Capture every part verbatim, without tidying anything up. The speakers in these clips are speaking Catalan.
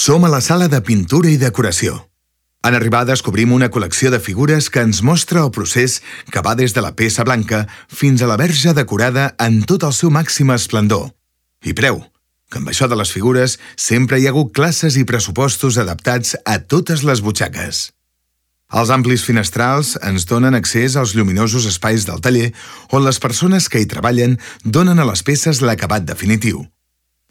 Som a la sala de pintura i decoració. En arribar descobrim una col·lecció de figures que ens mostra el procés que va des de la peça blanca fins a la verge decorada en tot el seu màxim esplendor. I preu, que amb això de les figures sempre hi ha hagut classes i pressupostos adaptats a totes les butxaques. Els amplis finestrals ens donen accés als lluminosos espais del taller on les persones que hi treballen donen a les peces l'acabat definitiu.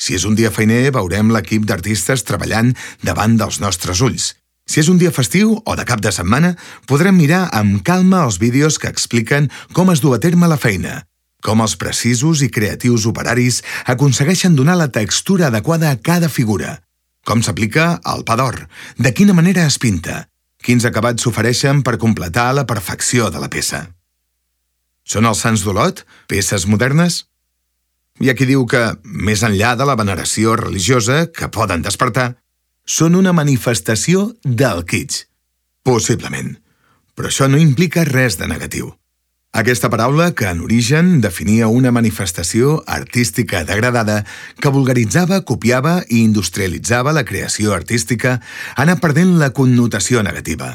Si és un dia feiner, veurem l'equip d'artistes treballant davant dels nostres ulls. Si és un dia festiu o de cap de setmana, podrem mirar amb calma els vídeos que expliquen com es du a terme la feina, com els precisos i creatius operaris aconsegueixen donar la textura adequada a cada figura, com s'aplica el pa d'or, de quina manera es pinta, quins acabats s'ofereixen per completar la perfecció de la peça. Són els Sants d'Olot, peces modernes? Hi ha qui diu que, més enllà de la veneració religiosa que poden despertar, són una manifestació del kitsch. Possiblement. Però això no implica res de negatiu. Aquesta paraula, que en origen definia una manifestació artística degradada que vulgaritzava, copiava i industrialitzava la creació artística, ha anat perdent la connotació negativa.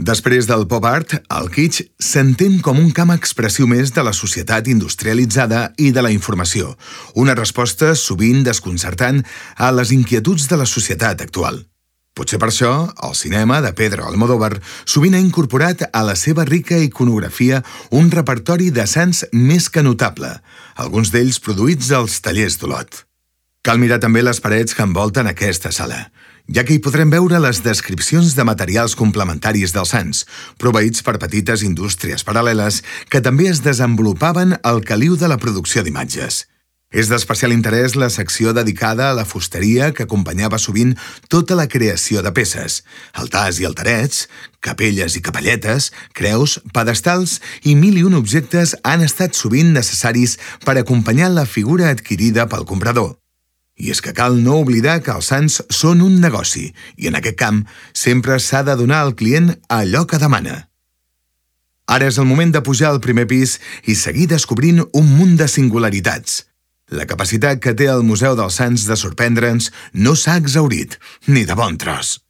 Després del pop art, el kitsch s'entén com un camp expressiu més de la societat industrialitzada i de la informació, una resposta sovint desconcertant a les inquietuds de la societat actual. Potser per això, el cinema de Pedro Almodóvar sovint ha incorporat a la seva rica iconografia un repertori de sants més que notable, alguns d'ells produïts als tallers d'Olot. Cal mirar també les parets que envolten aquesta sala, ja que hi podrem veure les descripcions de materials complementaris dels sants, proveïts per petites indústries paral·leles que també es desenvolupaven al caliu de la producció d'imatges. És d'especial interès la secció dedicada a la fusteria que acompanyava sovint tota la creació de peces, altars i altarets, capelles i capelletes, creus, pedestals i mil i un objectes han estat sovint necessaris per acompanyar la figura adquirida pel comprador. I és que cal no oblidar que els sants són un negoci i en aquest camp sempre s'ha de donar al client allò que demana. Ara és el moment de pujar al primer pis i seguir descobrint un munt de singularitats. La capacitat que té el Museu dels Sants de sorprendre'ns no s'ha exhaurit, ni de bon tros.